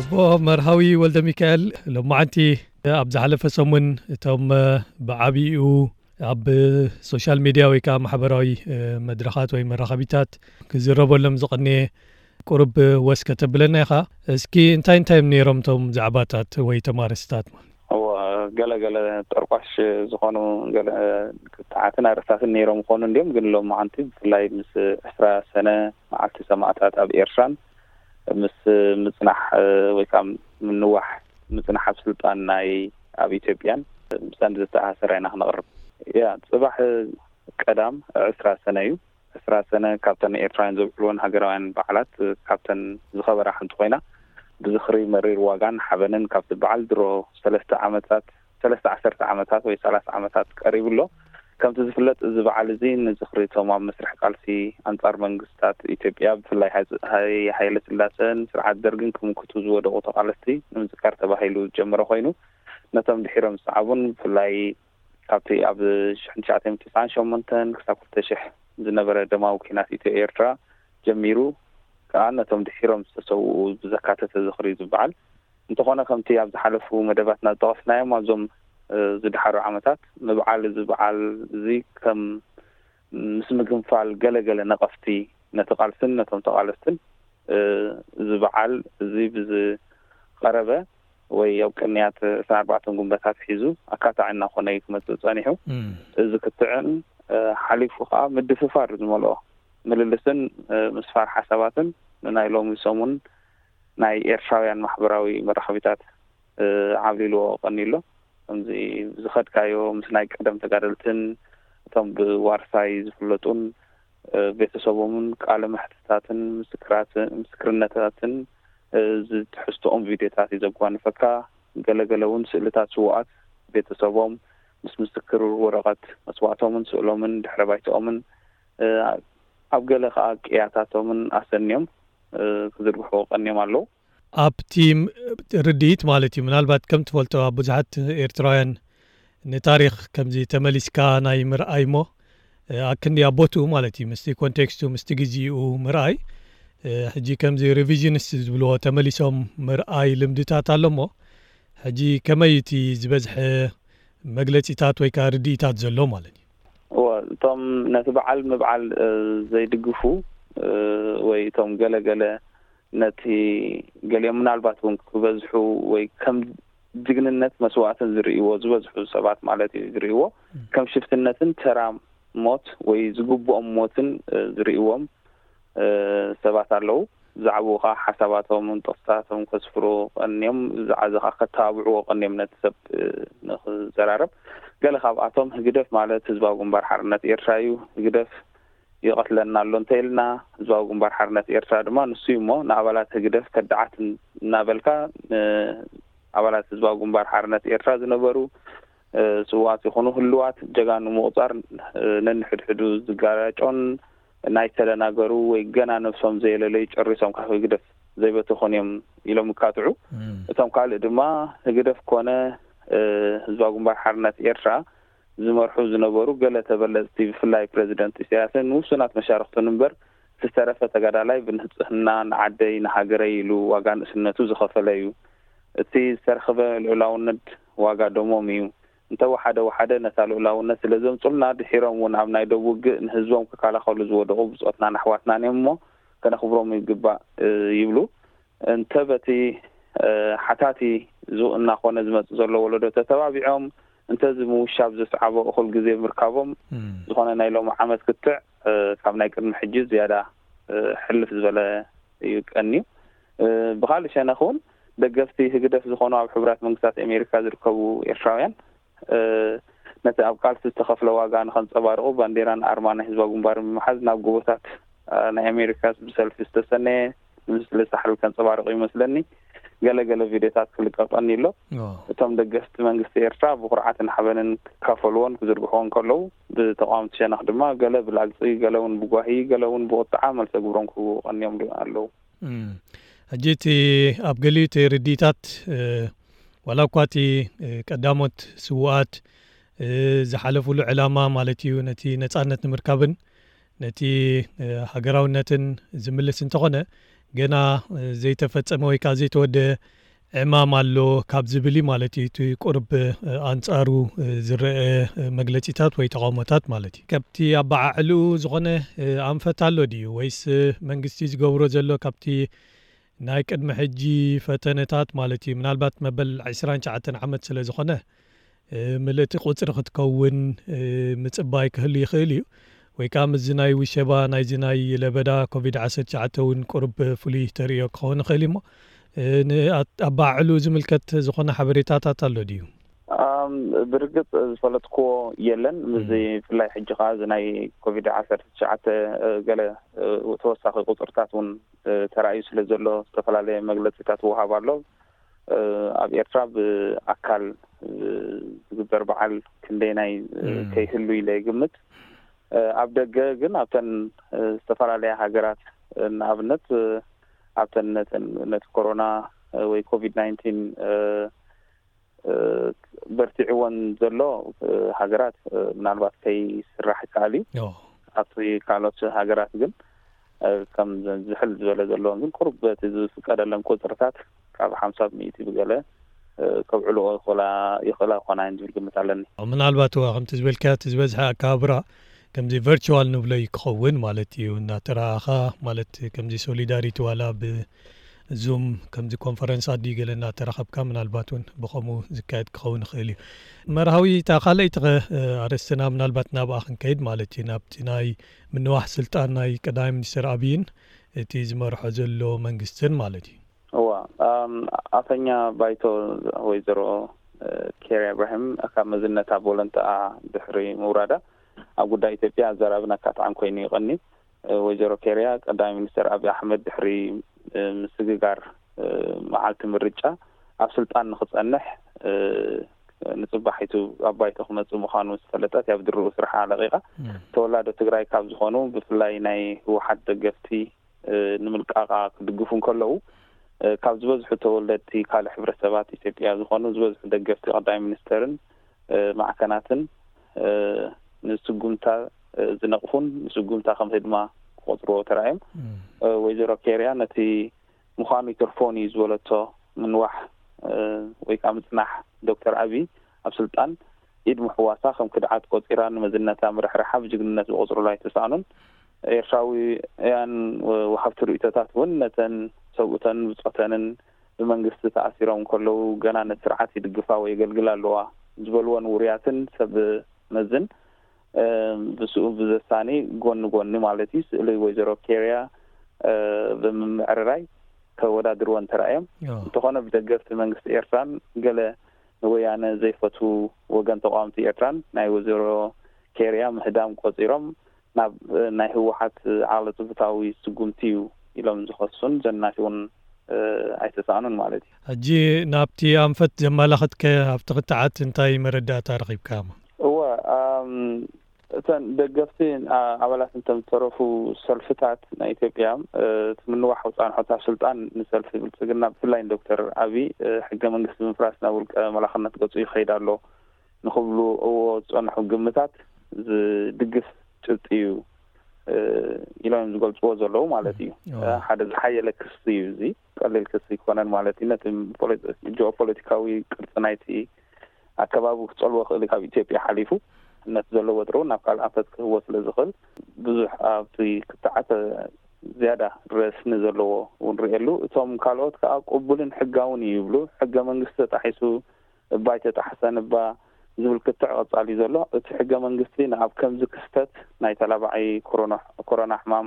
እቦ መርሃዊ ወልደ ሚካኤል፣ ሎማዓንቲ ኣብ ዝሓለፈ ሰሙን እቶም ብዓብይኡ ኣብ ሶሻል ሚድያ ወይ ከዓ ማሕበራዊ መድረኻት ወይ መራኸቢታት ክዝረበሎም ዝቐንየ ቁሩብ ወስ ከተብለና ኢኻ። እስኪ እንታይ እንታይ እዮም ነይሮም እቶም ዛዕባታት ወይ ተማረስታት? እዎ፣ ገለ ገለ ጠርቋሽ ዝኾኑ ገለ ክትዓትን ኣርእስታትን ነይሮም ይኾኑ እንዲዮም፣ ግን ሎማዓንቲ ብፍላይ ምስ ዕስራ ሰነ መዓልቲ ሰማእታት ኣብ ኤርትራን ምስ ምጽናሕ ወይ ከዓ ምንዋሕ ምጽናሕ ኣብ ስልጣን ናይ ኣብ ኢትዮጵያን ምሳን ዝተኣሳሰረ ኢና ክነቕርብ። ያ ጽባሕ ቀዳም ዕስራ ሰነ እዩ። ዕስራ ሰነ ካብተን ኤርትራውያን ዘብዕልወን ሃገራውያን በዓላት ካብተን ዝኸበራ ሓንቲ ኮይና፣ ብዝኽሪ መሪር ዋጋን ሓበንን ካብቲ በዓል ድሮ ሰለስተ ዓመታት ሰለስተ ዓሰርተ ዓመታት ወይ ሰላሳ ዓመታት ቀሪቡ ኣሎ። ከምቲ ዝፍለጥ፣ እዚ በዓል እዚ ንዝኽሪ እቶም ኣብ መስርሕ ቃልሲ ኣንጻር መንግስታት ኢትዮጵያ፣ ብፍላይ ሃይ-፣ ሃይ-፣ ሃይለ ስላሰን ስርዓት ደርግን ክምክቱ ዝወደቑ ተቓለስቲ ንምዝካር ተባሂሉ ዝጀመረ ኮይኑ፣ ነቶም ድሒሮም ዝሰዓቡን ብፍላይ ካብቲ ኣብ ሽሕን ትሽዓተ ሚእትን ተስዓን ሸሞንተን ክሳብ ክልተ ሽሕ ዝነበረ ደማዊ ኲናት ኢትዮ ኤርትራ ጀሚሩ ከኣ ነቶም ድሒሮም ዝተሰውኡ ብዘካተተ ዝኽሪ እዩ ዝበዓል። እንተኾነ ከምቲ ኣብ ዝሓለፉ መደባትና ዝጠቐስናዮም ኣብዞም፣ እ፣ ዝደሓሩ ዓመታት ምብዓል እዚ በዓል እዚ ከም ምስ ምግንፋል ገለ ገለ ነቐፍቲ ነቲ ቃልስን ነቶም ተቓለስትን፣ እ፣ እዚ በዓል እዚ ብዝቐረበ ወይ ኣብ ቅንያት ዕስራን ኣርባዕተን ጉንበት ኣትሒዙ ኣካታዒ እናኾነ እዩ ክመጽእ ጸኒሑ። እም። እዚ ክትዕን፣ እ፣ ሓሊፉ ከኣ ምድፍፋር ዝመልኦ ምልልስን፣ እ፣ ምስፋር ሓሳባትን ንናይ ሎሚ ሰሙን ናይ ኤርትራውያን ማሕበራዊ መራኸቢታት፣ እ፣ ዓብሊልዎ ቀንዩ ኣሎ። ከምዚ ዝኸድካዮ ምስ ናይ ቀደም ተጋደልትን እቶም ብዋርሳይ ዝፍለጡን፣ እ፣ ቤተሰቦምን ቃለ መሕትታትን ምስክራት-፣ ምስክርነታትን፣ እ፣ ዝትሕዝትኦም ቪድዮታት እዩ ዘጓንፈካ። ገለገለ እውን ስእልታት ስዉኣት ቤተሰቦም ምስ ምስክር ወረቐት መስዋእቶምን ስእሎምን ድሕረ ባይትኦምን፣ እ፣ ኣብ ገለ ከኣ ቅያታቶምን ኣሰንዮም፣ እ፣ ክዝርግሑ ቀንዮም ኣለዉ። ኣብቲ ም-፣ ርድኢት ማለት እዩ። ምናልባት ከም ትፈልጦ ኣብ ብዙሓት ኤርትራውያን ንታሪኽ ከምዚ ተመሊስካ ናይ ምርኣይ እሞ፣ እ፣ ኣክንዲ ኣብ ቦትኡ ማለት እዩ፣ ምስቲ ኮንቴክስቱ፣ ምስቲ ግዜኡ ምርኣይ፣ እ፣ ሕጂ ከምዚ ሪቪዥንስ ዝብልዎ ተመሊሶም ምርኣይ ልምድታት ኣሎ እሞ፣ ሕጂ ከመይ እቲ ዝበዝሐ መግለጺታት ወይ ከኣ ርድኢታት ዘሎ ማለት እዩ? እወ፣ እቶም ነቲ በዓል ምብዓል፣ እ፣ ዘይድግፉ፣ እ፣ ወይ እቶም ገለ ገለ ነቲ ገሊኦም ምናልባት እውን ክበዝሑ ወይ ከም ጅግንነት መስዋእትን ዝርእይዎ ዝበዝሑ ሰባት ማለት እዩ ዝርእይዎ፣ ም። ከም ሽፍትነትን ተራ ሞት ወይ ዝግብኦም ሞትን፣ እ፣ ዝርእይዎም፣ እ፣ ሰባት ኣለዉ። ብዛዕባኡ ኸዓ ሓሳባቶምን ጥቕስታቶም ከስፍሩ ቀንዮም፣ ብዛዕባ እዚ ኸዓ ከተባብዕዎ ቀንዮም ነቲ ሰብ፣ እ፣ ንኽዘራረብ። ገለ ካብኣቶም ህግደፍ ማለት ህዝባዊ ግንባር ሓርነት ኤርትራ እዩ። ህግደፍ ይቐትለና ኣሎ እንተ ኢልና፣ ህዝባዊ ግንባር ሓርነት ኤርትራ ድማ ንሱ እዩ እሞ፣ ንኣባላት ህግደፍ ከዳዓት እናበልካ፣ ን-፣ ኣባላት ህዝባዊ ግንባር ሓርነት ኤርትራ ዝነበሩ፣ እ፣ ስዉኣት ይኹኑ ህሉዋት ጀጋኑ ምቑጻር፣ እ፣ ነንሕድሕዱ ዝጋራጮን ናይ ተደናገሩ ወይ ገና ነብሶም ዘየለለዩ ጨሪሶም ካብ ህግደፍ ዘይበተኹን እዮም ኢሎም ይካትዑ። እም። እቶም ካልእ ድማ ህግደፍ ኮነ፣ እ፣ ህዝባዊ ግንባር ሓርነት ኤርትራ ዝመርሑ ዝነበሩ ገለ ተበለጽቲ፣ ብፍላይ ፕረዚደንት ኢሳያስን ውሱናት መሻርኽቱን እምበር፣ ዝተረፈ ተጋዳላይ ብንጽህና ንዓደይ ንሃገረይ ኢሉ ዋጋ ንእስነቱ ዝኸፈለ እዩ። እቲ ዝተረኽበ ልዑላውነት ዋጋ ደሞም እዩ። እንተ ወሓደ ወሓደ ነታ ልዑላውነት ስለ ዘምጹልና፣ ድሒሮም እውን ኣብ ናይ ደቡብ ውግእ ንህዝቦም ክከላኸሉ ዝወደቑ ብጾትናን ኣሕዋትናን እዮም እሞ፣ ከነኽብሮም ይግባእ፣ እ፣ ይብሉ። እንተ በቲ፣ እ፣ ሓታቲ ዙ-፣ እናኾነ ዝመጽእ ዘሎ ወለዶ ተተባቢዖም፣ እንተ እዚ ምውሻብ ዘስዓቦ እኹል ግዜ ምርካቦም፣ እም። ዝኾነ ናይ ሎሚ ዓመት ክትዕ፣ እ፣ ካብ ናይ ቅድሚ ሕጂ ዝያዳ፣ እ፣ ሕልፍ ዝበለ እዩ ቀንዩ። እ፣ ብኻልእ ሸነኽ እውን ደገፍቲ ህግደፍ ዝኾኑ ኣብ ሕቡራት መንግስታት ኣሜሪካ ዝርከቡ ኤርትራውያን፣ እ፣ ነቲ ኣብ ቃልሲ ዝተኸፍለ ዋጋ ንኸንጸባርቑ ባንዴራን ኣርማ ናይ ህዝባዊ ግንባርን ብምሓዝ ናብ ጎቦታት፣ እ፣ ናይ ኣሜሪካ ብሰልፊ ዝተሰነየ ንምስሊ ሳሕል ከንጸባርቑ ይመስለኒ። ገለ ገለ ቪድዮታት ክልቀቀኒ ኣሎ። ኦ። እቶም ደገፍቲ መንግስቲ ኤርትራ ብኹርዓትን ሓበንን ክካፈሉዎን ክዝርግሕዎን ከለዉ፣ ብተቃወምቲ ሸነኽ ድማ ገለ ብላግጺ፣ ገለ እውን ብጓሂ፣ ገለ እውን ብቁጥዓ መልሰ ግብሮም ክህቡ ቀንዮም ኣለዉ። እም። ሕጂ እቲ ኣብ ገሊኡ እቲ ርድኢታት፣ እ፣ ዋላ እኳ እቲ፣ እ፣ ቀዳሞት ስዉኣት፣ እ፣ ዝሓለፉሉ ዕላማ ማለት እዩ፣ ነቲ ነጻነት ንምርካብን ነቲ፣ እ፣ ሃገራውነትን ዝምልስ እንተኾነ፣ ገና ዘይተፈጸመ ወይ ከዓ ዘይተወደአ ዕማም ኣሎ ካብ ዝብል እዩ ማለት እዩ። እቲ ቁርብ ኣንጻሩ ዝረአ መግለጺታት ወይ ተቓውሞታት ማለት እዩ። ካብቲ ኣበዓዕልኡ ዝኾነ ኣንፈት ኣሎ ድዩ? ወይስ መንግስቲ ዝገብሮ ዘሎ ካብቲ ናይ ቅድሚ ሕጂ ፈተነታት ማለት እዩ? ምናልባት መበል ዕስራን ትሽዓተን ዓመት ስለ ዝኾነ፣ ምልእቲ ቁጽሪ ክትከውን ምጽባይ ክህሉ ይኽእል እዩ። ወይ ከዓ ምስዚ ናይ ውሸባ ናይዚ ናይ ለበዳ ኮቪድ ዓሰርተ ትሽዓተ እውን ቁሩብ ፍሉይ ተርእዮ ክኸውን ይኽእል እዩ። እሞ ንኣባዕሉ ዝምልከት ዝኾነ ሓበሬታታት ኣሎ ድዩ? ብርግፅ ዝፈለጥክዎ የለን። ምስዚ ብፍላይ ሕጂ ከዓ እዚ ናይ ኮቪድ ዓሰርተ ትሽዓተ ገለ ተወሳኺ ቁፅርታት እውን ተራእዩ ስለ ዘሎ ዝተፈላለየ መግለፂታት ይወሃብ ኣሎ። ኣብ ኤርትራ ብኣካል ዝግበር በዓል ክንደይናይ ከይህሉ ኢለ ይግምት። ኣብ ደገ ግን ኣብተን ዝተፈላለያ ሃገራት ንኣብነት ኣብተን ነቲ ኮሮና ወይ ኮቪድ ናይንቲን በርቲዕወን ዘሎ ሃገራት ምናልባት ከይስራሕ ይከኣል እዩ። ኣብቲ ካልኦት ሃገራት ግን ከም ዝሕል ዝበለ ዘለውን ግን ቁሩብ በቲ ዝፍቀደለን ቁፅርታት ካብ ሓምሳ ብሚእቲ ብገለ ከብዕልኦ ይኽእላ ይኽእላ ይኾና እየን ዝብል ግምት ኣለኒ። ምናልባት እዋ ከምቲ ዝበልካዮ እቲ ዝበዝሐ ኣከባብራ ከምዚ ቨርቹዋል ንብሎ እዩ ክኸውን ማለት እዩ። እናተረኣኻ ማለት ከምዚ ሶሊዳሪቲ ዋላ ብዙም ከምዚ ኮንፈረንስ ኣድዩ ገለ እናተራኸብካ ምናልባት እውን ብኸምኡ ዝካየድ ክኸውን ይኽእል እዩ። መርሃዊ እታ ካልኣይቲ ኸ ኣርእስትና ምናልባት ናብኣ ክንከይድ ማለት እዩ ናብቲ ናይ ምንዋሕ ስልጣን ናይ ቀዳማይ ሚኒስትር ኣብይን እቲ ዝመርሖ ዘሎ መንግስትን ማለት እዩ። እዋ ኣፈኛ ባይቶ ወይዘሮ ኬርያ ኢብራሂም ካብ መዝነታ ቦለንትኣ ድሕሪ ምውራዳ ኣብ ጉዳይ ኢትዮጵያ ኣዘራርባና ኣካትዓን ኮይኑ እዩ ቀንዩ። ወይዘሮ ኬርያ ቀዳማይ ሚኒስተር ኣብይ ኣሕመድ ድሕሪ ምስግጋር መዓልቲ ምርጫ ኣብ ስልጣን ንክፀንሕ ንፅባሒቱ ኣብ ባይቶ ክመፅእ ምዃኑ ዝፈለጠት እያ ብድርኡ ስርሓ ለቒቓ። ተወላዶ ትግራይ ካብ ዝኾኑ ብፍላይ ናይ ህወሓት ደገፍቲ ንምልቃቓ ክድግፉ እንከለዉ ካብ ዝበዝሑ ተወለድቲ ካልእ ሕብረተሰባት ኢትዮጵያ ዝኾኑ ዝበዝሑ ደገፍቲ ቀዳማይ ሚኒስተርን ማዕከናትን ንስጉምታ ዝነቕፉን ንስጉምታ ከም ህድማ ክቆፅርዎ ተራእዮም። ወይዘሮ ኬርያ ነቲ ምዃኑ ይተርፎን እዩ ዝበለቶ ምንዋሕ ወይ ከዓ ምፅናሕ ዶክተር ኣብይ ኣብ ስልጣን ኢድ ምሕዋሳ ከም ክድዓት ቆፂራ ንመዝነታ ምርሕርሓ ብጅግንነት ዝቆፅሩላ ኣይተሳእኑን። ኤርትራውያን ወሃብቲ ርእይቶታት እውን ነተን ሰብኡተን ብፆተንን ብመንግስቲ ተኣሲሮም እንከለዉ ገና ነቲ ስርዓት ይድግፋ ወይ የገልግላ ኣለዋ ዝበልወን ውሩያትን ሰብ መዝን ብስኡ ብዘሳኒ ጎኒ ጎኒ ማለት እዩ ስእሊ ወይዘሮ ኬርያ ብምምዕርራይ ከወዳድርወን ተራእዮም። እንተኾነ ብደገፍቲ መንግስቲ ኤርትራን ገለ ንወያነ ዘይፈትዉ ወገን ተቃወምቲ ኤርትራን ናይ ወይዘሮ ኬርያ ምህዳም ቆጺሮም ናብ ናይ ህወሓት ዓለቱ ፍትዊ ስጉምቲ እዩ ኢሎም ዝኸሱን ዘናሽውን ኣይተሳእኑን ማለት እዩ። ሕጂ ናብቲ ኣንፈት ዘመላኸትከ ኣብቲ ክትዓት እንታይ መረዳእታ ረኺብካ? እወ እተን ደገፍቲ ኣባላት እንተም ዝተረፉ ሰልፍታት ናይ ኢትዮጵያ እቲ ምንዋሕ ውፃንሖት ኣብ ስልጣን ንሰልፊ ብልፅግና ብፍላይ ንዶክተር ኣብይ ሕገ መንግስቲ ምፍራስ ናብ ውልቀ መላኽነት ገፁ ይኸይድ ኣሎ ንክብሉ እዎ ዝፀንሑ ግምታት ዝድግፍ ጭብጢ እዩ ኢሎም እዮም ዝገልፅዎ ዘለዉ ማለት እዩ። ሓደ ዝሓየለ ክሲ እዩ እዚ ቀሊል ክሲ ኣይኮነን ማለት እዩ። ነቲ ጂኦፖለቲካዊ ቅርፂ ናይቲ ኣከባቢ ክፀልዎ ክእል ካብ ኢትዮጵያ ሓሊፉ ነቲ ዘለዎ ወጥሪ እውን ናብ ካልእ ኣንፈት ክህቦ ስለ ዝኽእል ብዙሕ ኣብቲ ክትዓት ዝያዳ ረስኒ ዘለዎ እውን ርእየሉ። እቶም ካልኦት ከዓ ቅቡልን ሕጋውን እዩ ይብሉ። ሕገ መንግስቲ ተጣሒሱ እባ ኣይተጣሕሰን እባ ዝብል ክትዕ ቀፃሊ ዘሎ። እቲ ሕገ መንግስቲ ንኣብ ከምዚ ክስተት ናይ ተላባዒ ኮሮና ሕማም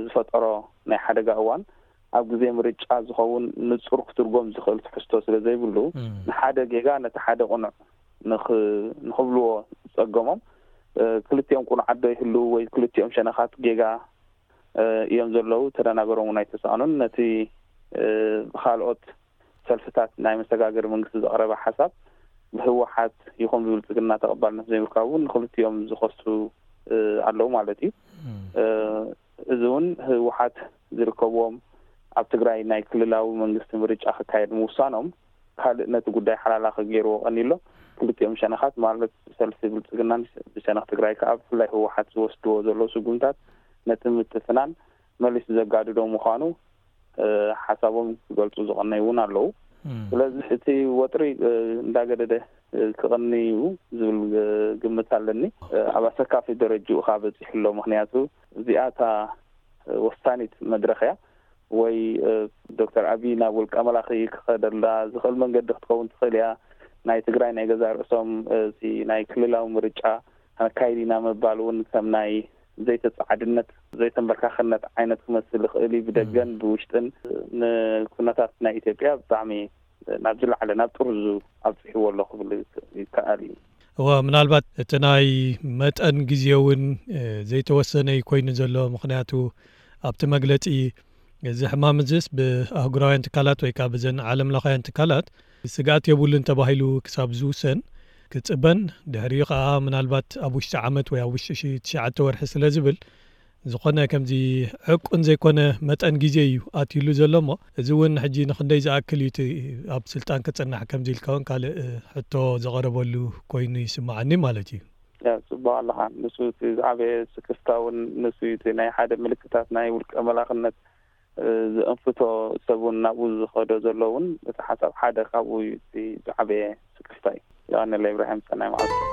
ዝፈጠሮ ናይ ሓደጋ እዋን ኣብ ግዜ ምርጫ ዝኸውን ንፁር ክትርጎም ዝኽእል ትሕዝቶ ስለ ዘይብሉ ንሓደ ጌጋ ነቲ ሓደ ቅኑዕ ንኽብልዎ ዝፀገሞም ክልቲኦም ቅኑዓት ዶ ይህልው ወይ ክልቲኦም ሸነኻት ጌጋ እዮም ዘለዉ ተደናገሮም እውን ኣይተሳእኑን። ነቲ ብካልኦት ሰልፍታት ናይ መሰጋገሪ መንግስቲ ዘቕረበ ሓሳብ ብህወሓት ይኹን ብብልፅግና ተቐባልነት ዘይምርካቡ ንክልቲኦም ዝኸሱ ኣለዉ ማለት እዩ። እዚ እውን ህወሓት ዝርከብዎም ኣብ ትግራይ ናይ ክልላዊ መንግስቲ ምርጫ ክካየድ ምውሳኖም ካልእ ነቲ ጉዳይ ሓላላ ክገይርዎ ቀኒሎ። ክልቲኦም ሸነኻት ማለት ሰልፊ ብልፅግናን ብሸነኽ ትግራይ ከዓ ብፍላይ ህወሓት ዝወስድዎ ዘለዉ ስጉምታት ነቲ ምትፍናን መሊሱ ዘጋድዶ ምዃኑ ሓሳቦም ክገልጹ ዝቐነዩ እውን ኣለዉ። ስለዚ እቲ ወጥሪ እንዳገደደ ክቐንዩ ዝብል ግምት ኣለኒ። ኣብ ኣሰካፊ ደረጅኡ ከኣ በጺሑ ኣሎ። ምክንያቱ እዚኣታ ወሳኒት መድረኽ እያ። ወይ ዶክተር ኣብይ ናብ ውልቀ መላኺ ክኸደላ ዝኽእል መንገዲ ክትከውን ትኽእል እያ። ናይ ትግራይ ናይ ገዛ ርእሶም እቲ ናይ ክልላዊ ምርጫ ኣካይድ ኢና ምባል እውን ከም ናይ ዘይተጻዕድነት፣ ዘይተንበርካኽነት ዓይነት ክመስል ይኽእል እዩ። ብደገን ብውሽጥን ንኩነታት ናይ ኢትዮጵያ ብጣዕሚ ናብ ዝለዓለ ናብ ጥርዙ ኣብፅሕዎ ኣሎ ክብል ይከኣል እዩ። እወ፣ ምናልባት እቲ ናይ መጠን ግዜ እውን ዘይተወሰነ ኮይኑ ዘሎ። ምክንያቱ ኣብቲ መግለፂ እዚ ሕማም እዚስ ብኣህጉራውያን ትካላት ወይ ከዓ ብዘን ዓለም ለኻውያን ትካላት ስግኣት የብሉን ተባሂሉ ክሳብ ዝውሰን ክፅበን፣ ድሕሪኡ ከዓ ምናልባት ኣብ ውሽጢ ዓመት ወይ ኣብ ውሽጢ ትሽዓተ ወርሒ ስለ ዝብል፣ ዝኾነ ከምዚ ዕቁን ዘይኮነ መጠን ግዜ እዩ ኣትይሉ ዘሎ እሞ፣ እዚ እውን ሕጂ ንክንደይ ዝኣክል እዩ እቲ ኣብ ስልጣን ክጽናሕ ከምዚ ኢልካ እውን ካልእ ሕቶ ዘቐረበሉ ኮይኑ ይስምዓኒ ማለት እዩ። ጽቡቕ ኣለኻ። ንሱ እቲ ዝዓበየ ስክፍታ እውን ንሱ እዩ። እቲ ናይ ሓደ ምልክታት ናይ ውልቀ መላኽነት ዝእንፍቶ ሰብ እውን ናብኡ ዝኸዶ ዘሎ እውን እቲ ሓሳብ ሓደ ካብኡ እዩ። እቲ ዝዓበየ ስክፍታ እዩ። የቐነለ ኢብራሂም፣ ሰናይ መዓልቲ።